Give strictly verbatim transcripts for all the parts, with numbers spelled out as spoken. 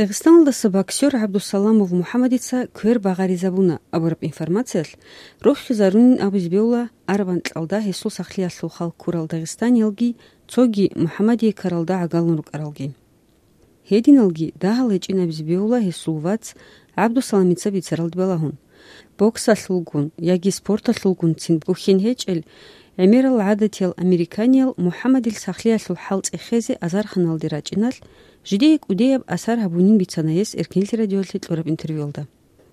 Дагъистаналдаса боксер ГӀабдусаламов МухӀаммадица квер багъаризабуна абураб информациялъ рохизарунин абизе бевла, араб анкьалда гьесул сахлъиялъул хал ккурал дагъистаниялги, цоги МухӀаммадие ккаралда гӀагалун рукӀаралги. Гьединалги дагьал гьечӀин абизе бевла гьесул вац ГӀабдусаламица бицаралде балагьун. Боксалъулгун яги спорталъулгун цин бухьин гьечӀел, гӀемерал гӀадатиял американиял МухӀаммадил сахлъиялъул хӀал цӀехезе азарханалде рачӀиналъ, жидее кӀудияб асар гьабунин бицана гьес Эркенлъи радиоялъе кьураб интервьюялда.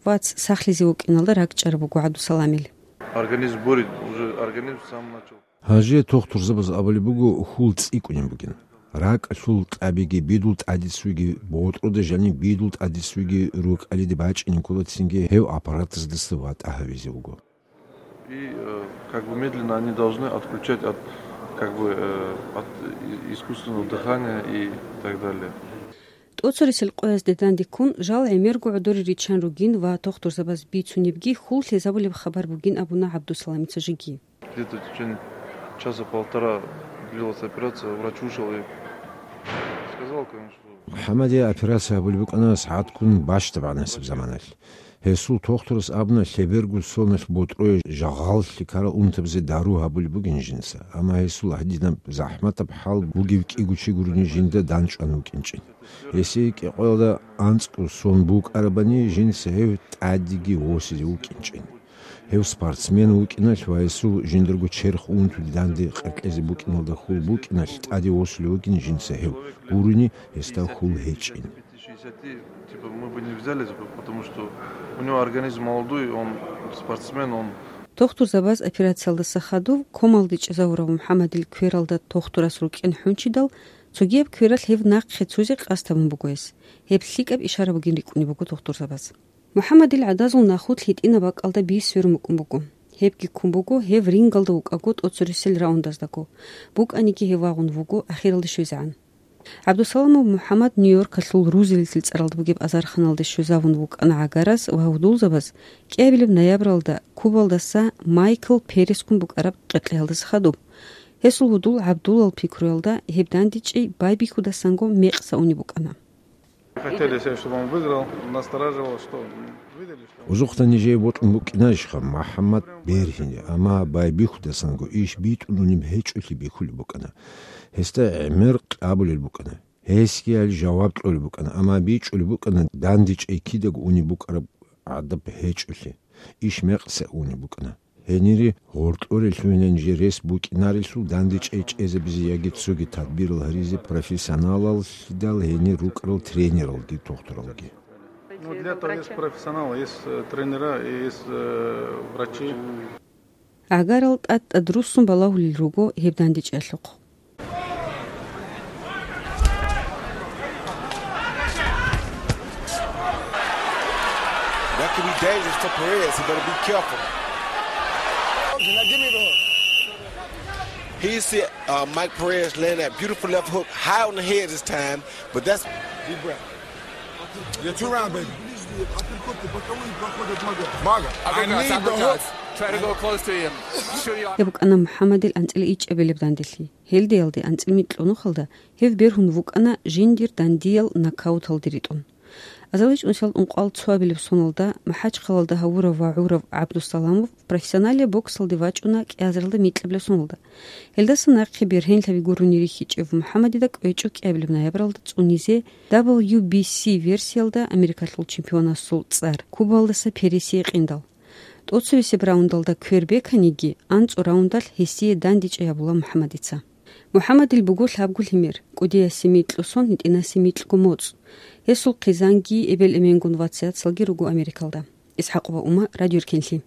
Вац сахлъизе вукӀиналда ракӀчӀараб буго ГӀабдусаламил. Организм бурит, уже организм сам начал. Гьанже тухтурзабаз абулеб буго, хьул цӀикӀкӀунеб бугин. РакӀалъул тӀабиги бидул тӀадицуйги, ботӀрода жаниб бидул тӀадицуйги рукӀалиде бачӀинин ккола, цинги гьев аппаратаздаса ватӀа гьавизе вуго. И, э, как бы медленно они должны отключать от, как бы, э, от и-, искусственного дыхания и так далее. ТӀоцересел къоязде дандеккун жал гӀемерго гӀодоре риччан ругин ва тухтурзабаз бицунебги хьул лъезабулеб хабар бугин абуна ГӀабдусаламица жеги. Где-то в течение часа-полтора длилась операция, врач вышел и сказал, конечно, что МухӀаммадие операция гьабулеб букӀана сагӀатккун бащдаб гӀанасеб заманалъ. Гьесул тухтурас абуна, лъеберго соналъ ботӀрое жагъаллъи ккарал унтабазе дару гьабулеб бугин жинца, амма гьесул гьадинаб захӀматаб хӀал бугев кӀиго чи гурони жинда данчӀван вукӀинчӀин. Гьесие кӀикъоялда анцӀго сон букӀарабани, жинца гьев тӀадеги восизе вукӀинчӀин. Гьев спортсмен вукӀиналъ ва гьесул жиндарго черх унтуде данде къеркьезе букӀиналда хьул букӀиналъ тӀаде восулев вугин жинца гьев, гурони гьесда хьул гьечӀин. Типа, мы бы не взяли, потому что у него организм молодой, он спортсмен, он... Тухтурзабаз операциялдаса хадув комалде чӀезавурав МухӀаммадил квералда тухтурас рукӀин хӀунчидал, цогияб квералъ гьев нахъе цузе къасд гьабун буго гьес. Гьеб лъикӀаб ишара бугин рикӀкӀунеб буго тухтурзабаз. МухӀаммадил гӀадазул нахулъ гьитӀинаб бакӀалда би сверун букӀун буго. Гьебги ккун буго гьев рингалда вукӀаго тӀоцересел раундаздаго, букӀаниги гьев вагъун вуго ахиралде щвезегӀан. ГӀабдусаламов МухӀаммад Нью-Йоркалъул Рузвельтил цӀаралда бугеб азарханалде щвезавун вукӀана гӀагарас ва гьудулзабаз кӀиабилеб ноябралда Кубалдаса Майкл Перескун букӀараб къеркьеялдаса хадуб. Гьесул гьудул ГӀабдулал пикруялда гьеб дандечӀей байбихьудасанго мекъса унеб букӀана. Хотели все, чтобы он выиграл, настораживало, что видели, что... Узухъда нижее бокьун букӀинарищха МухӀаммад бергьине, амма байбихьудасанго иш битӀун унеб гьечӀолъи бихьулеб букӀана. Гьесда гӀемер къабулел букӀана. Гьесги гьал жаваб кьолеб букӀана, амма бичӀчӀулеб букӀана дандечӀей кидаго унеб букӀараб гӀадаб гьечӀолъи, иш мекъса унеб букӀана. Гьенире гъоркьоре лъугьинан жер рес букӀинарелъул дандечӀей чӀезабизе яги цоги тадбирал гьаризе профессионалаллъидал гьенир рукӀарал тренералги тухтуралги. Ну, для этого есть профессионалы, есть, э, тренера и есть, э, врачи. ГӀагарал тӀад-тӀад руссун балагьулел руго гьеб дандечӀиялъухъ. That could be dangerous for Perez. He better be careful. He see, uh, Mike Perez land that beautiful left hook high on the head this time, but that's... Deep breath. You're two rounds, baby. Maga. I need the hook. Try to go close to him. Гьеб букӀана МухӀаммадил анцӀила ичӀабилеб данделъи. Гьелдиялде анцӀила микьнухалда гьев бергьун вукӀана жиндир дандиял нокауталде ритӀун. АзаличӀунсиялда ункъоялда цоабилеб соналда МахӀачхъалалда гьавурав ва гӀурав ГӀабдусаламов профессионалияб боксалде вачӀуна кӀиазаралда микьабилеб соналда. Гьелдаса нахъе бергьенлъаби гурони рихьичӀев МухӀаммадида кӀвечӀо кӀиабилеб ноябралда цӀунизе дабл ю би си версиялда Америкалъул чемпионасул цӀар Кубалдаса Пересие къиндал. ТӀоцевесеб раундалда квер беканиги, анцӀу раундалъ гьесие дандечӀей абула МухӀаммадица. МухӀаммадил буго лъабго лъимер, кӀудиясе микьго сон, гьитӀинасе микьго моцӀ. Гьесул хъизанги, эбел-эменгун вац-яцалги руго Америкалда. ИсхӀакъова Ума, Радио Эркенлъи.